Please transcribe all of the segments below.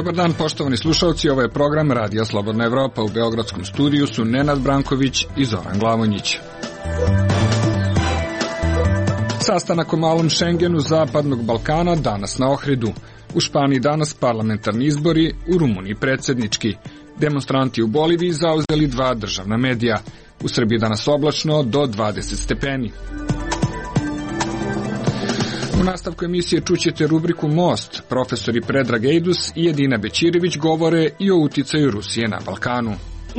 Dobar dan, poštovani slušalci, ovo je program Radija Slobodna Evropa. U beogradskom studiju su Nenad Branković i Zoran Glavonjić. Sastanak o malom Šengenu Zapadnog Balkana danas na Ohridu. U Španiji danas parlamentarni izbori, u Rumuniji predsjednički. Demonstranti u Boliviji zauzeli 2 državna medija. U Srbiji danas oblačno do 20 stepeni. U nastavku emisije čućete rubriku Most. Profesori Predrag Ejdus i Edina Bećirević govore i o uticaju Rusije na Balkanu.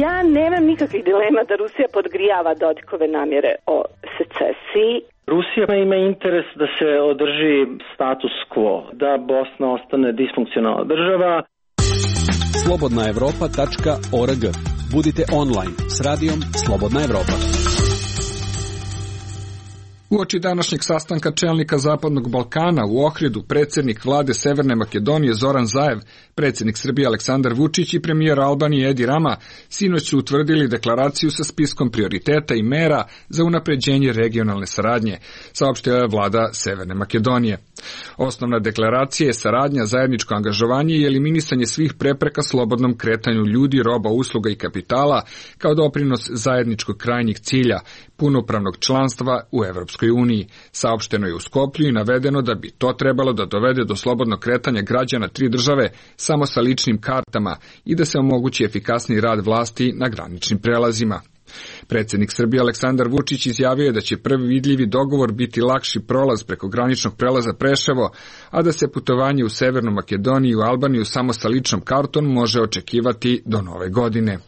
Ja nemam nikakvih dilema da Rusija podgrijava Dodikove namjere o secesiji. Rusija ima interes da se održi status quo, da Bosna ostane disfunkcionalna država. Slobodnaevropa.org. Budite online s radijom Slobodna Evropa. Uoči današnjeg sastanka čelnika Zapadnog Balkana u Ohridu, predsjednik vlade Severne Makedonije Zoran Zaev, predsjednik Srbije Aleksandar Vučić i premijer Albanije Edi Rama sinoć su utvrdili deklaraciju sa spiskom prioriteta i mera za unapređenje regionalne saradnje, saopštila je vlada Severne Makedonije. Osnovna deklaracija je saradnja, zajedničko angažovanje i eliminisanje svih prepreka slobodnom kretanju ljudi, roba, usluga i kapitala kao doprinos zajedničkog krajnjeg cilja, punopravnog članstva u Evropskoj uniji. Saopšteno je u Skoplju i navedeno da bi to trebalo da dovede do slobodnog kretanja građana 3 države samo sa ličnim kartama i da se omogući efikasniji rad vlasti na graničnim prelazima. Predsjednik Srbije Aleksandar Vučić izjavio je da će prvi vidljivi dogovor biti lakši prolaz preko graničnog prelaza Preševo, a da se putovanje u Severnu Makedoniju i u Albaniju samo sa ličnom kartom može očekivati do nove godine.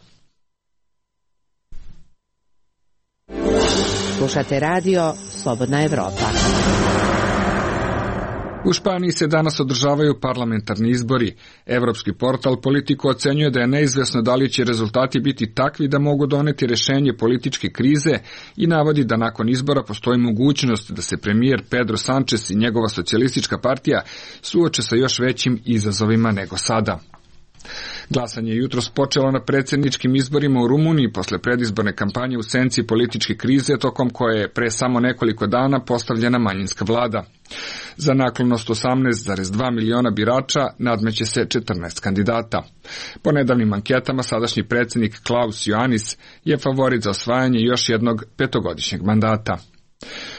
Slušate radio Slobodna Evropa. U Španiji se danas održavaju parlamentarni izbori. Evropski portal Politico ocenjuje da je neizvesno da li će rezultati biti takvi da mogu doneti rješenje političke krize i navodi da nakon izbora postoji mogućnost da se premijer Pedro Sánchez i njegova socijalistička partija suoče sa još većim izazovima nego sada. Glasanje je jutros počelo na predsjedničkim izborima u Rumuniji posle predizborne kampanje u senci političke krize tokom koje je pre samo nekoliko dana postavljena manjinska vlada. Za naklonost 18,2 miliona birača nadmeće se 14 kandidata. Po nedavnim anketama sadašnji predsjednik Klaus Iohannis je favorit za osvajanje još jednog 5-godišnjeg mandata.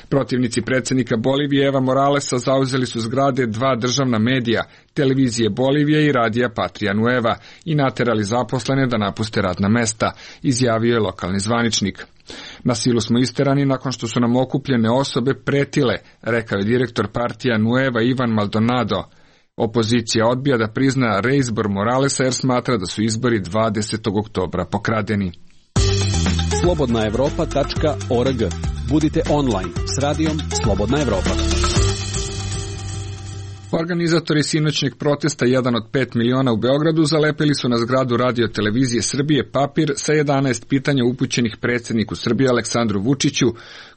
Protivnici predsjednika Bolivije Eva Moralesa zauzeli su zgrade 2 državna medija, televizije Bolivije i radija Patria Nueva, i naterali zaposlene da napuste radna mesta, izjavio je lokalni zvaničnik. Na silu smo isterani nakon što su nam okupljene osobe pretile, rekao je direktor Patria Nueva Ivan Maldonado. Opozicija odbija da prizna reizbor Moralesa jer smatra da su izbori 20. oktobra pokradeni. Slobodnaevropa.org. Budite online s radijom Slobodna Evropa. Organizatori sinoćnjeg protesta 1 od 5 miliona u Beogradu zalepili su na zgradu Radio Televizije Srbije papir sa 11 pitanja upućenih predsjedniku Srbije Aleksandru Vučiću,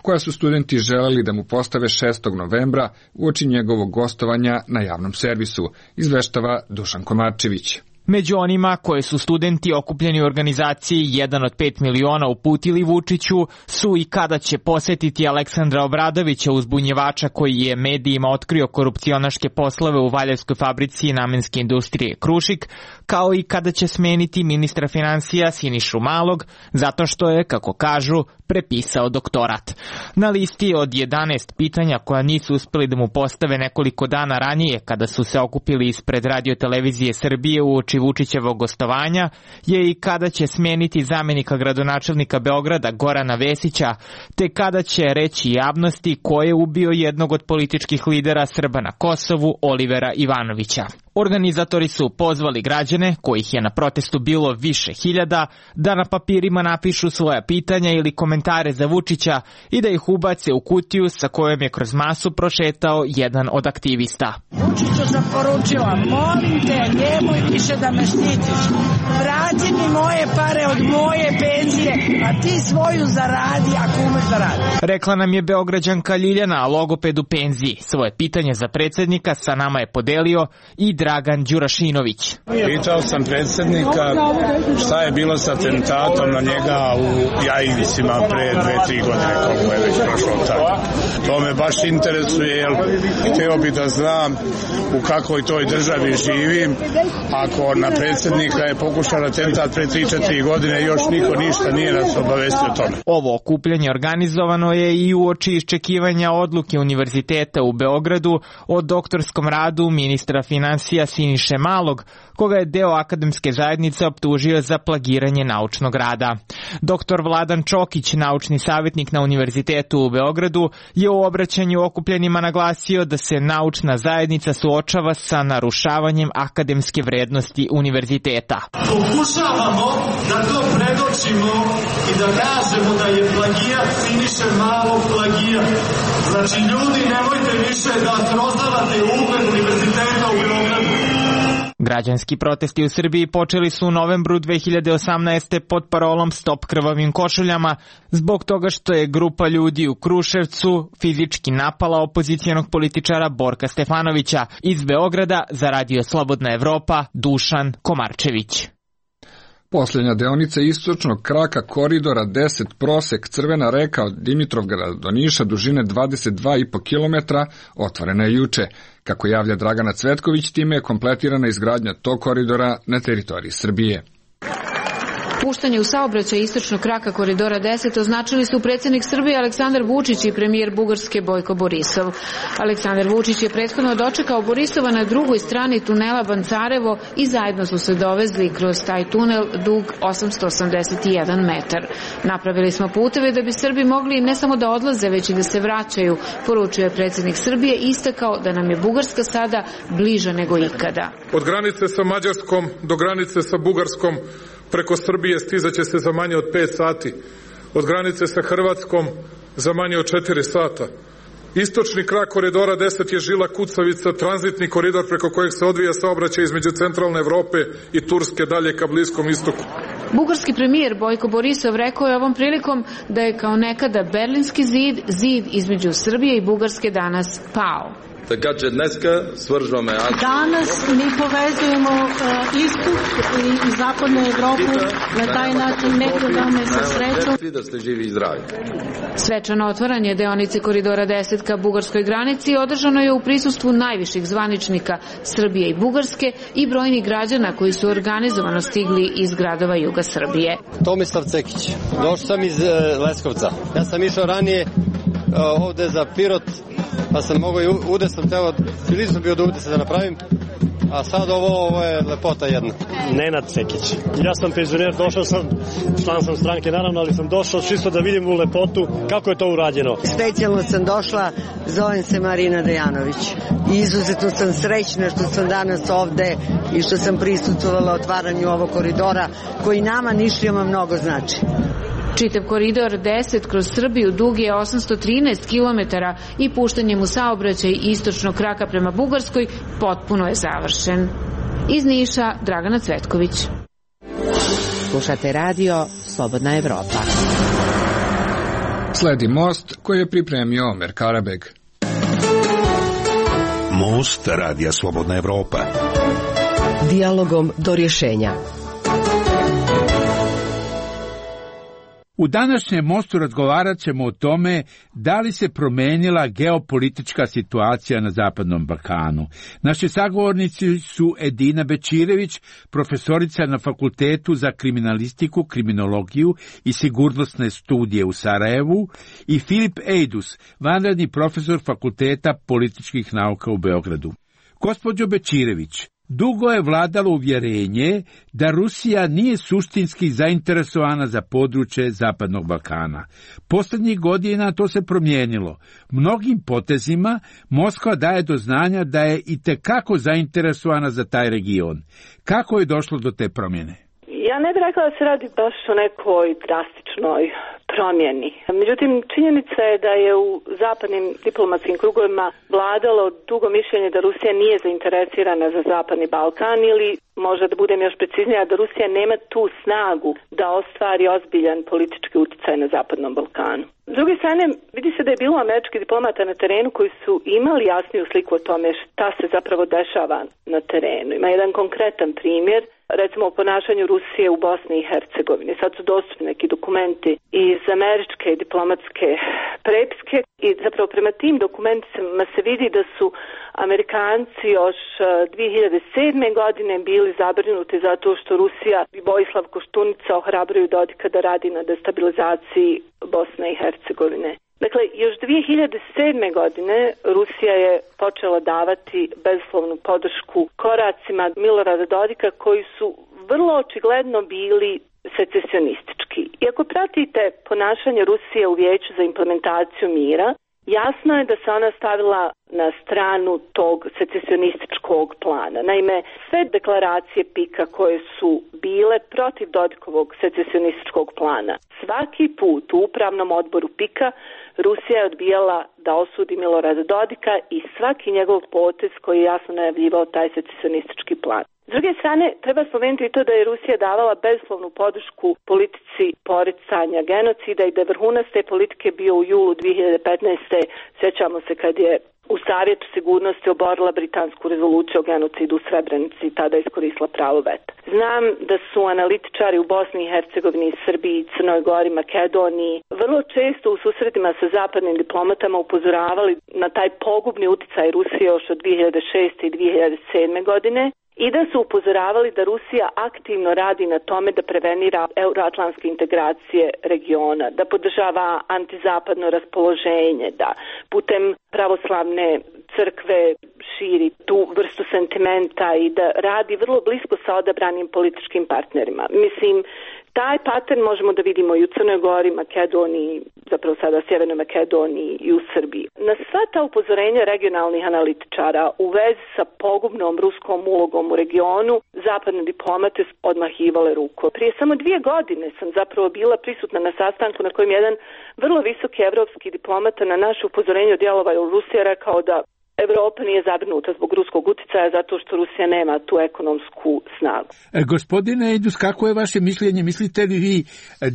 koja su studenti želeli da mu postave 6. novembra uoči njegovog gostovanja na javnom servisu, izveštava Dušan Komarčević. Među onima koje su studenti okupljeni u organizaciji 1 od 5 miliona uputili Vučiću su i kada će posjetiti Aleksandra Obradovića, uzbunjevača koji je medijima otkrio korupcionaške poslove u Valjevskoj fabrici namenske industrije Krušik, kao i kada će smeniti ministra financija Sinišu Malog, zato što je, kako kažu, prepisao doktorat. Na listi od 11 pitanja koja nisu uspjeli da mu postave nekoliko dana ranije kada su se okupili ispred Radio Televizije Srbije uoči Vučićevog gostovanja je i kada će smeniti zamjenika gradonačelnika Beograda Gorana Vesića, te kada će reći javnosti ko je ubio jednog od političkih lidera Srba na Kosovu, Olivera Ivanovića. Organizatori su pozvali građane, kojih je na protestu bilo više hiljada, da na papirima napišu svoja pitanja ili komentare za Vučića i da ih ubace u kutiju sa kojom je kroz masu prošetao jedan od aktivista. Vučiću sam poručila, molim te, nemoj više da me štitiš. Vrati mi moje pare od moje penzije, a ti svoju zaradi ako umeš da radi. Rekla nam je Beograđanka Ljiljana, logoped u penziji. Svoje pitanje za predsjednika sa nama je podelio i Dragan Đurašinović. Pitao sam predsjednika šta je bilo sa atentatom na njega u Jajincima pre 2-3 godine, koliko je već prošlo tako. To me baš interesuje, jer htio bi da znam u kakvoj toj državi živim. Ako na predsjednika je pokušao atentat pre 3-4 godine, još niko ništa nije nas obavestio o tome. Ovo okupljanje organizovano je i uoči iščekivanja odluke Univerziteta u Beogradu o doktorskom radu ministra finansija Siniše Malog, koga je deo akademske zajednice optužio za plagiranje naučnog rada. Doktor Vladan Čokić, naučni savjetnik na Univerzitetu u Beogradu, je u obraćanju okupljenima naglasio da se naučna zajednica suočava sa narušavanjem akademske vrednosti univerziteta. Pokušavamo da to predočimo i da kažemo da je plagijat Siniše Malog plagijat. Znači, ljudi, nemojte više da srozavate ugled Univerziteta u Beogradu. Građanski protesti u Srbiji počeli su u novembru 2018. pod parolom Stop krvavim košuljama, zbog toga što je grupa ljudi u Kruševcu fizički napala opozicijonog političara Borka Stefanovića. Iz Beograda za Radio Slobodna Evropa, Dušan Komarčević. Posljednja deonica istočnog kraka koridora 10 prosek Crvena reka od Dimitrovgrada do Niša dužine 22,5 km otvorena je juče. Kako javlja Dragana Cvetković, time je kompletirana izgradnja tog koridora na teritoriji Srbije. Puštanje u saobraćaj istočnog kraka koridora 10 označili su predsjednik Srbije Aleksandar Vučić i premijer Bugarske Bojko Borisov. Aleksandar Vučić je prethodno dočekao Borisova na drugoj strani tunela Bancarevo i zajedno su se dovezli kroz taj tunel dug 881 metar. Napravili smo puteve da bi Srbi mogli ne samo da odlaze, već i da se vraćaju, poručio je predsjednik Srbije i istakao da nam je Bugarska sada bliža nego ikada. Od granice sa Mađarskom do granice sa Bugarskom preko Srbije stizaće se za manje od 5 sati. Od granice sa Hrvatskom za manje od 4 sata. Istočni krak koridora 10 je žila kucavica, tranzitni koridor preko kojeg se odvija saobraćaj između centralne Evrope i Turske dalje ka Bliskom istoku. Bugarski premijer Bojko Borisov rekao je ovom prilikom da je kao nekada Berlinski zid između Srbije i Bugarske danas pao. Danas mi povezujemo istok i zapadnu Evropu na taj način nekrodavne sa srećom. Svečano otvaranje deonice koridora 10 ka bugarskoj granici održano je u prisustvu najviših zvaničnika Srbije i Bugarske i brojnih građana koji su organizovano stigli iz gradova juga Srbije. Tomislav Cekić, došao sam iz Leskovca. Ja sam išao ranije ovde za Pirot, pa sam mogao i ude sam teo, ili sam bio da ude se da napravim, a sad ovo je lepota jedna. Nenad Cekić. Ja sam penzioner, došao sam, član sam stranke naravno, ali sam došao čisto da vidim u lepotu kako je to urađeno. Specijalno sam došla, zovem se Marina Dejanović. Izuzetno sam srećna što sam danas ovde i što sam prisustvovala otvaranju ovog koridora koji nama Nišlijama mnogo znači. Čitav koridor 10 kroz Srbiju dug je 813 km i puštanjem u saobraćaj istočnog kraka prema Bugarskoj potpuno je završen. Iz Niša, Dragana Cvetković. Slušate radio Slobodna Evropa. Sledi most koji je pripremio Omer Karabeg. Most radija Slobodna Evropa. Dijalogom do rješenja. U današnjem mostu razgovarat ćemo o tome da li se promenila geopolitička situacija na Zapadnom Balkanu. Naši sagovornici su Edina Bečirević, profesorica na Fakultetu za kriminalistiku, kriminologiju i sigurnosne studije u Sarajevu, i Filip Ejdus, vanredni profesor Fakulteta političkih nauka u Beogradu. Gospođo Bečirević, dugo je vladalo uvjerenje da Rusija nije suštinski zainteresovana za područje Zapadnog Balkana. Posljednjih godina to se promijenilo. Mnogim potezima Moskva daje do znanja da je itekako zainteresovana za taj region. Kako je došlo do te promjene? Ja ne bih rekla da se radi baš o nekoj drastičnoj promijeni. Međutim, činjenica je da je u zapadnim diplomatskim krugovima vladalo dugo mišljenje da Rusija nije zainteresirana za Zapadni Balkan ili, možda da budem još preciznija, da Rusija nema tu snagu da ostvari ozbiljan politički utjecaj na Zapadnom Balkanu. S druge strane, vidi se da je bilo američkih diplomata na terenu koji su imali jasniju sliku o tome šta se zapravo dešava na terenu. Ima jedan konkretan primjer, recimo o ponašanju Rusije u Bosni i Hercegovini. Sad su dostupni neki dokumenti iz američke diplomatske prepiske i zapravo prema tim dokumentima se vidi da su Amerikanci još 2007. godine bili zabrinuti zato što Rusija i Vojislav Koštunica ohrabruju Dodika da radi na destabilizaciji Bosne i Hercegovine. Dakle, još 2007. godine Rusija je počela davati bezuslovnu podršku koracima Milorada Dodika koji su vrlo očigledno bili secesionistički. I ako pratite ponašanje Rusije u Vijeću za implementaciju mira, jasno je da se ona stavila na stranu tog secesionističkog plana. Naime, sve deklaracije PIK-a koje su bile protiv Dodikovog secesionističkog plana, svaki put u upravnom odboru PIK-a Rusija je odbijala da osudi Milorada Dodika i svaki njegov potez koji je jasno najavljivao taj secesionistički plan. S druge strane, treba spomenuti i to da je Rusija davala bezuslovnu podršku politici poricanja genocida i da je vrhunac te politike bio u julu 2015. Sjećamo se kad je u Savjetu sigurnosti oborila britansku rezoluciju o genocidu u Srebrenici i tada iskoristila pravo veta. Znam da su analitičari u Bosni i Hercegovini, Srbiji, Crnoj Gori, Makedoniji vrlo često u susretima sa zapadnim diplomatama upozoravali na taj pogubni uticaj Rusije još od 2006. i 2007. godine i da su upozoravali da Rusija aktivno radi na tome da prevenira euroatlantske integracije regiona, da podržava antizapadno raspoloženje, da putem pravoslavne crkve širi tu vrstu sentimenta i da radi vrlo blisko sa odabranim političkim partnerima. Mislim, taj pattern možemo da vidimo i u Crnoj Gori, Makedoniji, zapravo sada Sjevernoj Makedoniji i u Srbiji. Na sva ta upozorenja regionalnih analitičara u vezi sa pogubnom ruskom ulogom u regionu, zapadne diplomate odmahivale rukom. Prije samo 2 godine sam zapravo bila prisutna na sastanku na kojem jedan vrlo visoki evropski diplomata na naše upozorenje o djelovanju Rusije rekao da Evropa nije zabrinuta zbog ruskog uticaja zato što Rusija nema tu ekonomsku snagu. Gospodine Ejdus, kako je vaše mišljenje? Mislite li vi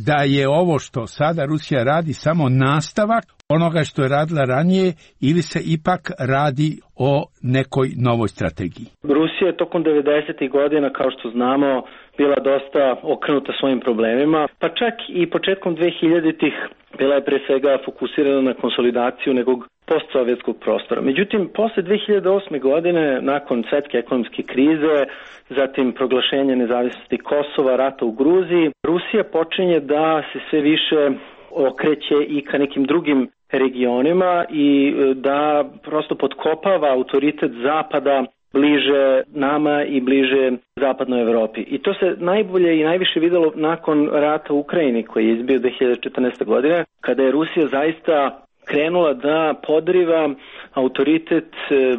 da je ovo što sada Rusija radi samo nastavak onoga što je radila ranije ili se ipak radi o nekoj novoj strategiji? Rusija je tokom 90. godina, kao što znamo, bila dosta okrenuta svojim problemima, pa čak i početkom 2000-ih bila je pre svega fokusirana na konsolidaciju nekog postsovjetskog prostora. Međutim, posle 2008. godine, nakon svetske ekonomske krize, zatim proglašenja nezavisnosti Kosova, rata u Gruziji, Rusija počinje da se sve više okreće i ka nekim drugim regionima i da prosto potkopava autoritet Zapada bliže nama i bliže zapadnoj Evropi. I to se najbolje i najviše videlo nakon rata u Ukrajini koji je izbio 2014. godine, kada je Rusija zaista krenula da podriva autoritet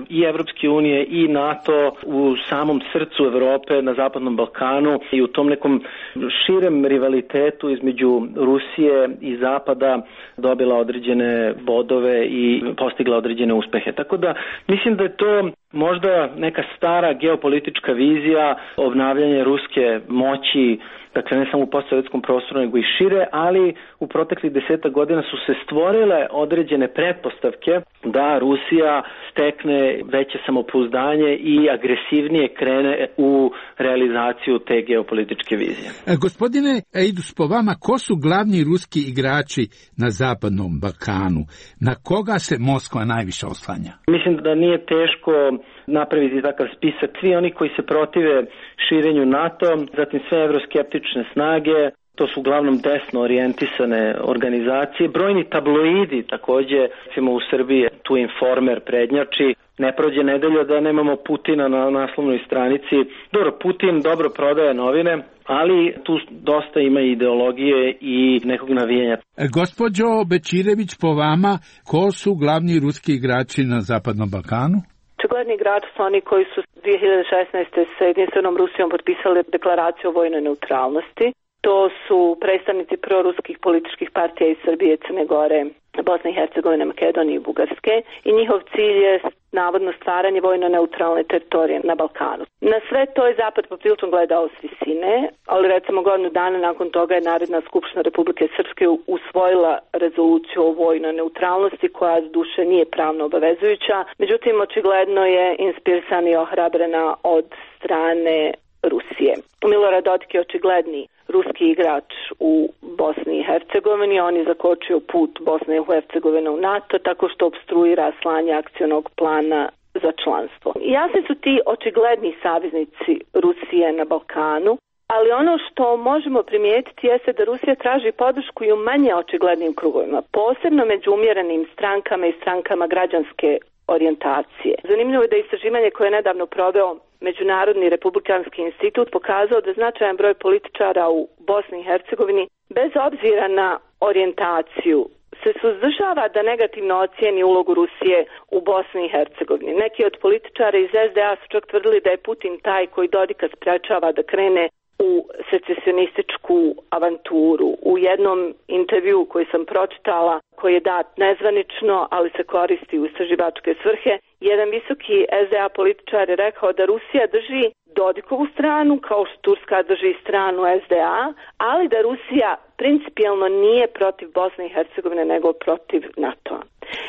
i Evropske unije i NATO u samom srcu Evrope na Zapadnom Balkanu i u tom nekom širem rivalitetu između Rusije i Zapada dobila određene bodove i postigla određene uspehe. Tako da mislim da je to možda neka stara geopolitička vizija obnavljanja ruske moći, dakle ne samo u postsovjetskom prostoru nego i šire, ali u proteklih 10 godina su se stvorile određene pretpostavke da Rusija stekne veće samopouzdanje i agresivnije krene u realizaciju te geopolitičke vizije. Gospodine Ejdus, po vama, ko su glavni ruski igrači na Zapadnom Balkanu? Na koga se Moskva najviše oslanja? Mislim da nije teško napraviti takav spisak. Svi oni koji se protive širenju NATO, zatim sve evroskeptične snage, to su uglavnom desno orijentisane organizacije. Brojni tabloidi takođe, recimo u Srbiji, tu Informer prednjači. Ne prođe nedelja da nemamo Putina na naslovnoj stranici. Dobro, Putin dobro prodaje novine, ali tu dosta ima ideologije i nekog navijanja. Gospođo Bečirević, po vama, ko su glavni ruski igrači na Zapadnom Balkanu? Očigledni igrači su oni koji su 2016. sa jedinstvenom Rusijom potpisali deklaraciju o vojnoj neutralnosti. To su predstavnici proruskih političkih partija iz Srbije, Crne Gore, Bosne i Hercegovine, Makedonije i Bugarske i njihov cilj je navodno stvaranje vojno neutralne teritorije na Balkanu. Na sve to je Zapad poprilično gledao s visine, ali recimo godinu dana nakon toga je Narodna skupština Republike Srpske usvojila rezoluciju o vojnoj neutralnosti koja duše nije pravno obavezujuća, međutim očigledno je inspirisana i ohrabrena od strane Rusije. Milorad Dodik je očigledni ruski igrač u Bosni i Hercegovini. On je zakočio put Bosne i Hercegovine u NATO tako što opstruira slanje akcionog plana za članstvo. Jasni su ti očigledni saveznici Rusije na Balkanu, ali ono što možemo primijetiti jeste da Rusija traži podršku i u manje očiglednim krugovima, posebno među umjerenim strankama i strankama građanske orijentacije. Zanimljivo je da istraživanje koje je nedavno proveo Međunarodni republikanski institut pokazao da značajan broj političara u Bosni i Hercegovini, bez obzira na orijentaciju, se suzdržava da negativno ocijeni ulogu Rusije u Bosni i Hercegovini. Neki od političara iz SDA su čak tvrdili da je Putin taj koji Dodika sprečava da krene u secesionističku avanturu. U jednom intervju koji sam pročitala, koji je dat nezvanično, ali se koristi u istraživačke svrhe, jedan visoki SDA političar je rekao da Rusija drži Dodikovu stranu, kao što Turska drži stranu SDA, ali da Rusija principijelno nije protiv Bosne i Hercegovine, nego protiv NATO-a.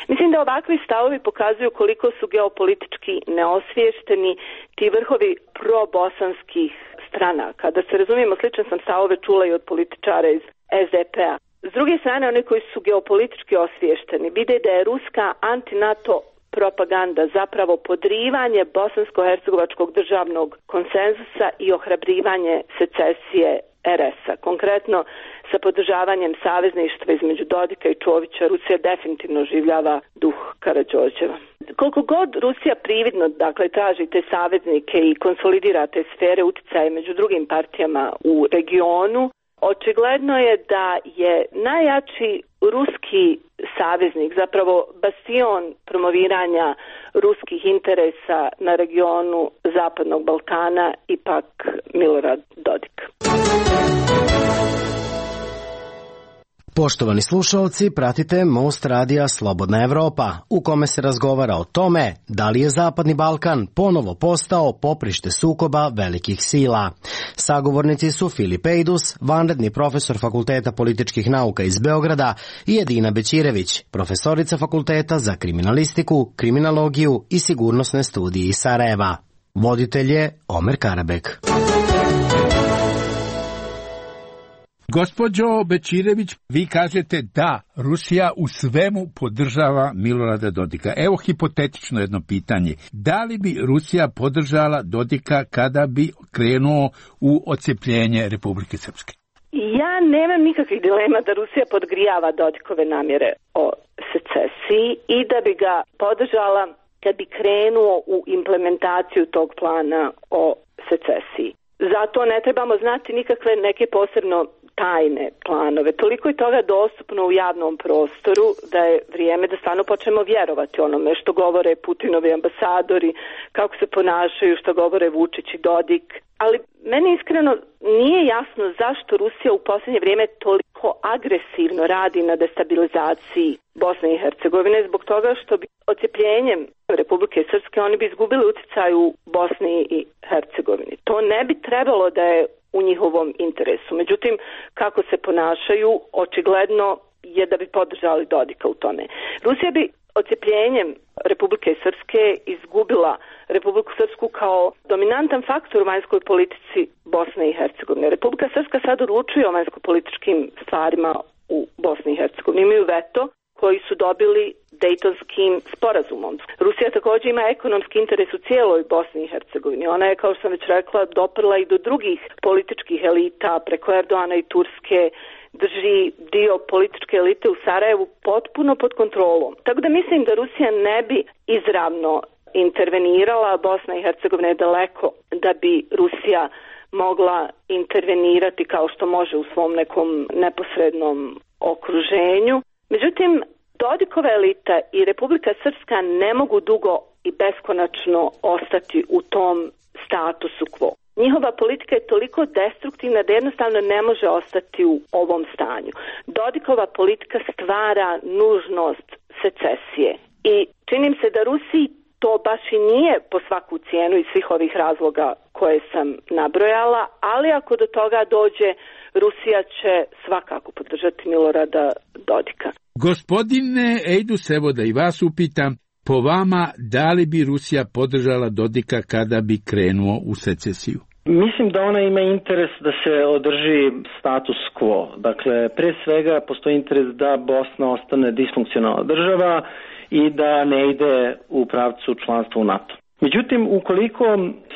Mislim da ovakvi stavovi pokazuju koliko su geopolitički neosviješteni ti vrhovi probosanskih stranaka. Da se razumijemo, sličan sam stavove čula i od političara iz SDP-a. S druge strane, oni koji su geopolitički osviješteni vide da je ruska anti-NATO propaganda zapravo podrivanje bosansko-hercegovačkog državnog konsenzusa i ohrabrivanje secesije RS-a. Konkretno, sa podržavanjem savezništva između Dodika i Čovića, Rusija definitivno oživljava duh Karađorđeva. Koliko god Rusija prividno, dakle, traži te saveznike i konsolidira te sfere uticaja među drugim partijama u regionu, očigledno je da je najjači ruski saveznik, zapravo bastion promoviranja ruskih interesa na regionu Zapadnog Balkana, ipak Milorad Dodik. Poštovani slušalci, pratite Most radija Slobodna Evropa, u kome se razgovara o tome da li je Zapadni Balkan ponovo postao poprište sukoba velikih sila. Sagovornici su Filip Ejdus, vanredni profesor Fakulteta političkih nauka iz Beograda, i Edina Bećirević, profesorica Fakulteta za kriminalistiku, kriminologiju i sigurnosne studije iz Sarajeva. Voditelj je Omer Karabek. Gospođo Bećirević, vi kažete da Rusija u svemu podržava Milorada Dodika. Evo hipotetično jedno pitanje. Da li bi Rusija podržala Dodika kada bi krenuo u odcepljenje Republike Srpske? Ja nemam nikakvih dilema da Rusija podgrijava Dodikove namjere o secesiji i da bi ga podržala kad bi krenuo u implementaciju tog plana o secesiji. Zato ne trebamo znati nikakve neke posebno tajne planove. Toliko je toga dostupno u javnom prostoru da je vrijeme da stvarno počnemo vjerovati onome što govore Putinovi ambasadori, kako se ponašaju, što govore Vučić i Dodik. Ali meni iskreno nije jasno zašto Rusija u posljednje vrijeme toliko agresivno radi na destabilizaciji Bosne i Hercegovine, zbog toga što bi odcepljenjem Republike Srpske oni bi izgubili utjecaj u Bosni i Hercegovini. To ne bi trebalo da je u njihovom interesu. Međutim, kako se ponašaju, očigledno je da bi podržali Dodika u tome. Rusija bi odcepljenjem Republike Srpske izgubila Republiku Srpsku kao dominantan faktor u vanjskoj politici Bosne i Hercegovine. Republika Srpska sad odlučuje o vanjsko-političkim stvarima u Bosni i Hercegovini. Imaju veto koji su dobili Dejtonskim sporazumom. Rusija također ima ekonomski interes u cijeloj Bosni i Hercegovini. Ona je, kao što sam već rekla, doprla i do drugih političkih elita preko Erdoana i Turske, drži dio političke elite u Sarajevu potpuno pod kontrolom. Tako da mislim da Rusija ne bi izravno intervenirala, Bosna i Hercegovina je daleko da bi Rusija mogla intervenirati kao što može u svom nekom neposrednom okruženju. Međutim, Dodikova elita i Republika Srpska ne mogu dugo i beskonačno ostati u tom statusu quo. Njihova politika je toliko destruktivna da jednostavno ne može ostati u ovom stanju. Dodikova politika stvara nužnost secesije i čini se da Rusiji to baš i nije po svaku cijenu iz svih ovih razloga koje sam nabrojala, ali ako do toga dođe, Rusija će svakako podržati Milorada Dodika. Gospodine Ejdus, evo da i vas upitam, po vama, da li bi Rusija podržala Dodika kada bi krenuo u secesiju? Mislim da ona ima interes da se održi status quo. Dakle, pre svega postoji interes da Bosna ostane disfunkcionalna država i da ne ide u pravcu članstva u NATO. Međutim, ukoliko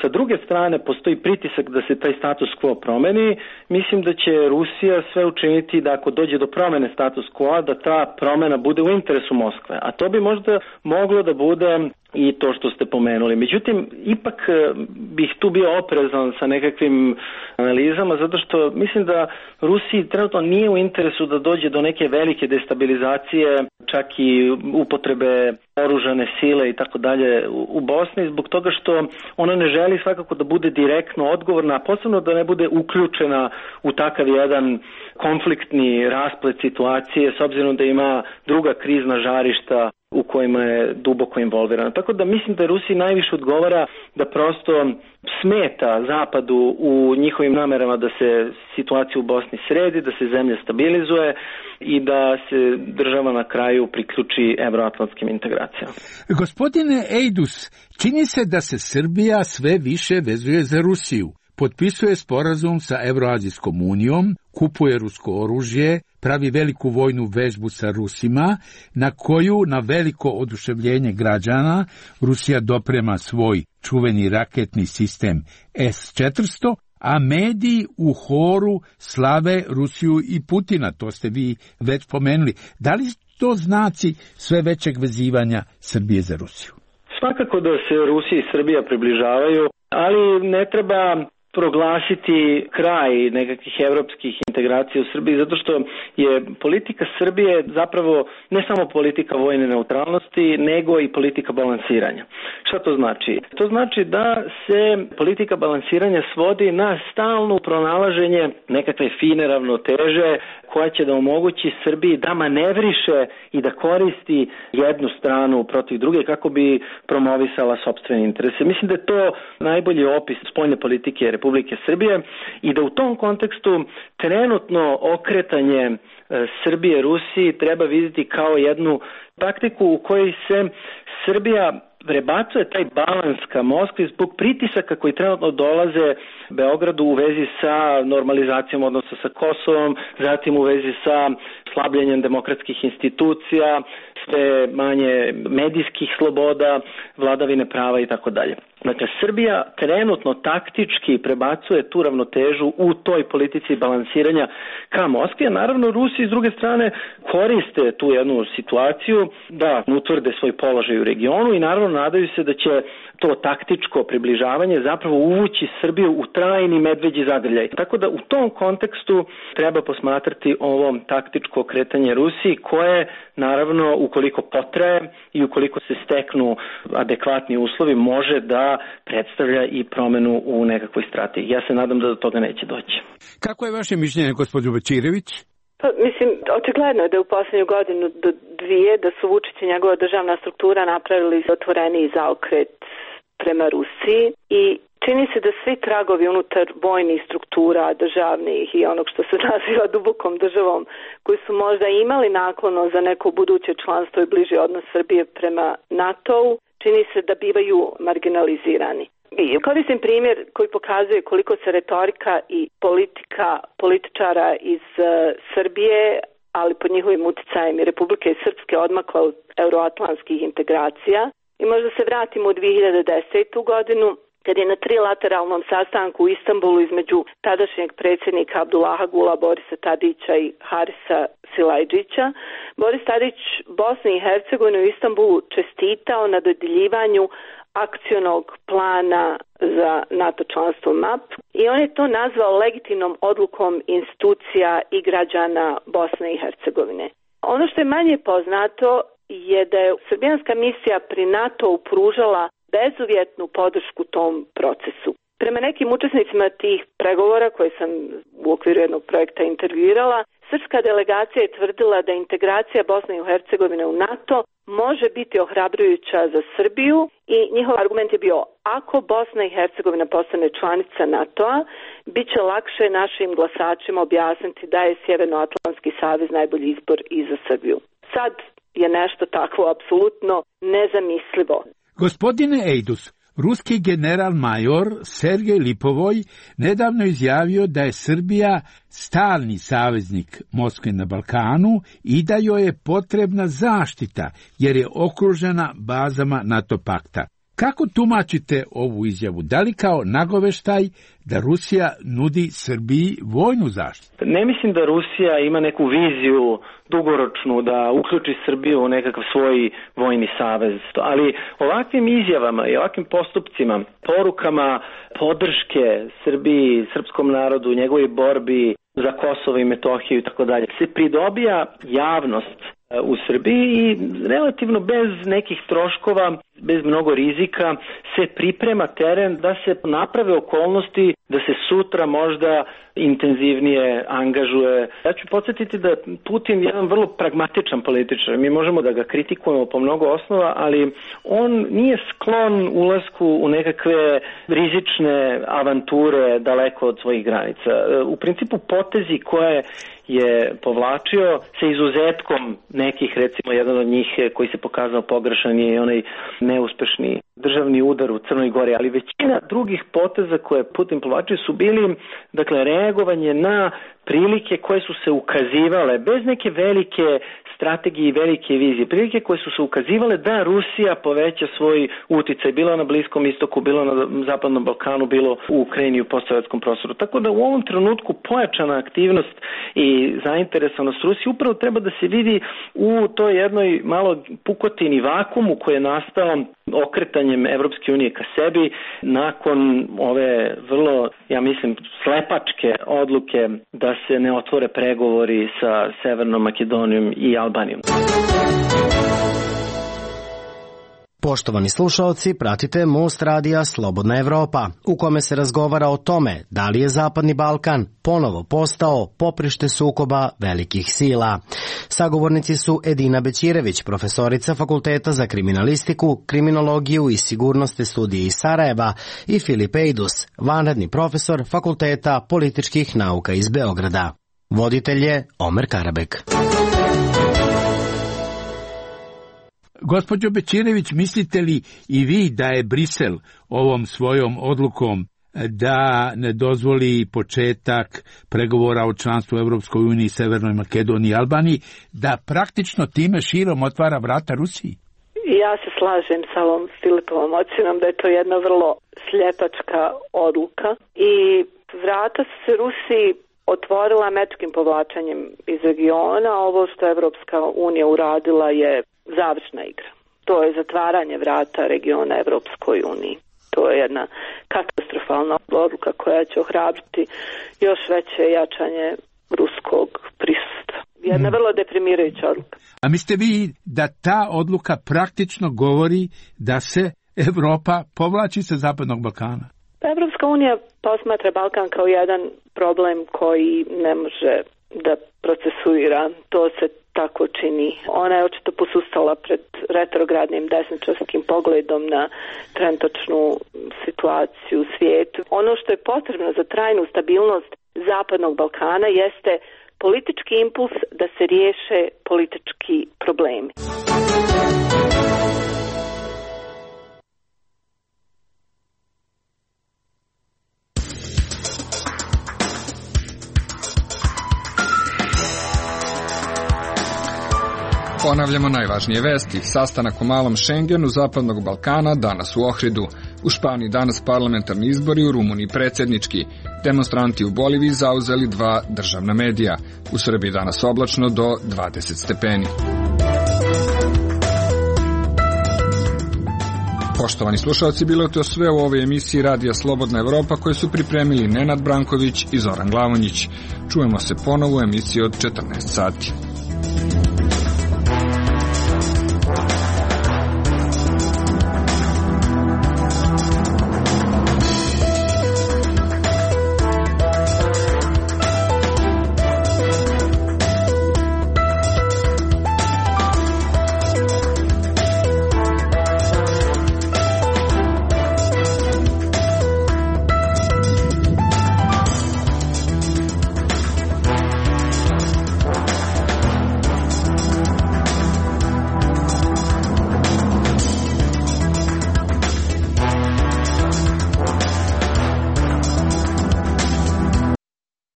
sa druge strane postoji pritisak da se taj status quo promeni, mislim da će Rusija sve učiniti da ako dođe do promene status quo, da ta promena bude u interesu Moskve. A to bi možda moglo da bude i to što ste pomenuli. Međutim, ipak bih tu bio oprezan sa nekakvim analizama, zato što mislim da Rusiji trenutno nije u interesu da dođe do neke velike destabilizacije, čak i upotrebe oružane sile i tako dalje u Bosni, zbog toga što ona ne želi svakako da bude direktno odgovorna, a posebno da ne bude uključena u takav jedan konfliktni rasplet situacije, s obzirom da ima druga krizna žarišta u kojima je duboko involvirana. Tako da mislim da Rusiji najviše odgovara da prosto smeta Zapadu u njihovim namerama da se situacija u Bosni sredi, da se zemlja stabilizuje i da se država na kraju priključi evroatlantskim integracijama. Gospodine Ejdus, čini se da se Srbija sve više vezuje za Rusiju. Potpisuje sporazum sa Evroazijskom unijom, kupuje rusko oružje, pravi veliku vojnu vežbu sa Rusima, na koju na veliko oduševljenje građana Rusija doprema svoj čuveni raketni sistem S-400, a mediji u horu slave Rusiju i Putina, to ste vi već pomenuli. Da li to znaci sve većeg vezivanja Srbije za Rusiju? Svakako da se Rusija i Srbija približavaju, ali ne treba proglasiti kraj nekakvih evropskih integracija u Srbiji, zato što je politika Srbije zapravo ne samo politika vojne neutralnosti, nego i politika balansiranja. Šta to znači? To znači da se politika balansiranja svodi na stalno pronalaženje nekakve fine ravnoteže koja će da omogući Srbiji da manevriše i da koristi jednu stranu protiv druge kako bi promovisala sopstvene interese. Mislim da je to najbolji opis spoljne politike Republike Srbije i da u tom kontekstu trenutno okretanje Srbije Rusiji treba vidjeti kao jednu taktiku u kojoj se Srbija prebacuje taj balans ka Moskvi zbog pritisaka koji trenutno dolaze Beogradu u vezi sa normalizacijom odnosa sa Kosovom, zatim u vezi sa slabljenjem demokratskih institucija, sve manje medijskih sloboda, vladavine prava i tako dalje. Dakle, Srbija trenutno taktički prebacuje tu ravnotežu u toj politici balansiranja ka Moskvi, a naravno Rusi s druge strane koriste tu jednu situaciju da utvrde svoj položaj u regionu i naravno nadaju se da će to taktičko približavanje zapravo uvući Srbiju u trajni medveđi zagrljaj. Tako da u tom kontekstu treba posmatrati ovo taktičko kretanje Rusiji koje naravno ukoliko potraje i ukoliko se steknu adekvatni uslovi može da predstavlja i promenu u nekakvoj strategiji. Ja se nadam da do toga neće doći. Kako je vaše mišljenje, gospođo Bečirević? Pa, mislim, očigledno je da u posljednju godinu do dvije da su Vučić i njegova državna struktura napravili otvoreniji zaokret prema Rusiji i čini se da svi tragovi unutar vojnih struktura, državnih i onog što se naziva dubokom državom, koji su možda imali naklono za neko buduće članstvo i bliži odnos Srbije prema NATO-u, čini se da bivaju marginalizirani. I koristim primjer koji pokazuje koliko se retorika i politika političara iz Srbije, ali pod njihovim uticajem i Republike Srpske odmakla od euroatlantskih integracija. I možda se vratimo u 2010. godinu, kad je na trilateralnom sastanku u Istanbulu između tadašnjeg predsjednika Abdullaha Gula, Borisa Tadića i Harisa Silajdžića, Boris Tadić Bosni i Hercegovini u Istanbulu čestitao na dodjeljivanju akcionog plana za NATO članstvo MAP i on je to nazvao legitimnom odlukom institucija i građana Bosne i Hercegovine. Ono što je manje poznato je da je srbijanska misija pri NATO-u pružala bezuvjetnu podršku tom procesu. Prema nekim učesnicima tih pregovora koje sam u okviru jednog projekta intervjuirala, srpska delegacija je tvrdila da integracija Bosne i Hercegovine u NATO može biti ohrabrujuća za Srbiju i njihov argument je bio: ako Bosna i Hercegovina postane članica NATO-a, bit će lakše našim glasačima objasniti da je Sjevernoatlantski savez najbolji izbor i za Srbiju. Sad je nešto takvo apsolutno nezamislivo. Gospodine Ejdus, ruski general-major Sergej Lipovoj nedavno izjavio da je Srbija stalni saveznik Moskve na Balkanu i da joj je potrebna zaštita jer je okružena bazama NATO pakta. Kako tumačite ovu izjavu? Da li kao nagoveštaj da Rusija nudi Srbiji vojnu zaštitu? Ne mislim da Rusija ima neku viziju dugoročnu da uključi Srbiju u nekakav svoj vojni savez. Ali ovakvim izjavama i ovakvim postupcima, porukama podrške Srbiji, srpskom narodu, njegovoj borbi za Kosovo i Metohiju i tako dalje, se pridobija javnost u Srbiji i relativno bez nekih troškova, bez mnogo rizika se priprema teren da se naprave okolnosti da se sutra možda intenzivnije angažuje. Ja ću podsjetiti da Putin je jedan vrlo pragmatičan političar. Mi možemo da ga kritikujemo po mnogo osnova, ali on nije sklon ulasku u nekakve rizične avanture daleko od svojih granica. U principu potezi koje je povlačio sa izuzetkom nekih, recimo jedan od njih koji se pokazao pogrešan je onaj neuspešni državni udar u Crnoj Gori, ali većina drugih poteza koje Putin povlačio su bili, dakle, reagovanje na prilike koje su se ukazivale bez neke velike strategije i velike vizije, prilike koje su se ukazivale da Rusija poveća svoj uticaj, bilo na Bliskom istoku, bilo na Zapadnom Balkanu, bilo u Ukrajini i u postsovjetskom prostoru. Tako da u ovom trenutku pojačana aktivnost i zainteresovanost Rusije upravo treba da se vidi u toj jednoj malo pukotini vakumu koji je nastao okretanjem Evropske unije ka sebi nakon ove vrlo, ja mislim, slepačke odluke da se ne otvore pregovori sa Severnom Makedonijom i Albanijom. Poštovani slušaoci, pratite Most radija Slobodna Evropa, u kome se razgovara o tome da li je Zapadni Balkan ponovo postao poprište sukoba velikih sila. Sagovornici su Edina Bećirević, profesorica Fakulteta za kriminalistiku, kriminologiju i sigurnosne studije iz Sarajeva, i Filip Ejdus, vanredni profesor Fakulteta političkih nauka iz Beograda. Voditelj je Omer Karabek. Gospođo Bećirević, mislite li i vi da je Brisel ovom svojom odlukom da ne dozvoli početak pregovora o članstvu u Evropskoj uniji, Severnoj Makedoniji i Albaniji, da praktično time širom otvara vrata Rusiji? Ja se slažem sa ovom Filipovom ocjenom da je to jedna vrlo sljepačka odluka i vrata se Rusiji otvorila američkim povlačenjem iz regiona. Ovo što je Evropska unija uradila je završna igra. To je zatvaranje vrata regiona Evropskoj uniji. To je jedna katastrofalna odluka koja će ohrabriti još veće jačanje ruskog prisustva. Jedna vrlo deprimirajuća odluka. A mislite vi da ta odluka praktično govori da se Evropa povlači sa Zapadnog Balkana? Evropska unija posmatra Balkan kao jedan problem koji ne može da procesuira. To se tako čini. Ona je očito posustala pred retrogradnim desničarskim pogledom na trenutačnu situaciju u svijetu. Ono što je potrebno za trajnu stabilnost Zapadnog Balkana jeste politički impuls da se riješe politički problemi. Ponavljamo najvažnije vesti. Sastanak u malom Šengenu Zapadnog Balkana danas u Ohridu. U Španiji danas parlamentarni izbori, u Rumuniji predsjednički. Demonstranti u Boliviji zauzeli 2 državna medija. U Srbiji danas oblačno do 20 stepeni. Poštovani slušalci, bilo je to sve u ovoj emisiji Radija Slobodna Evropa koje su pripremili Nenad Branković i Zoran Glavonjić. Čujemo se ponovo u emisiji od 14 sati.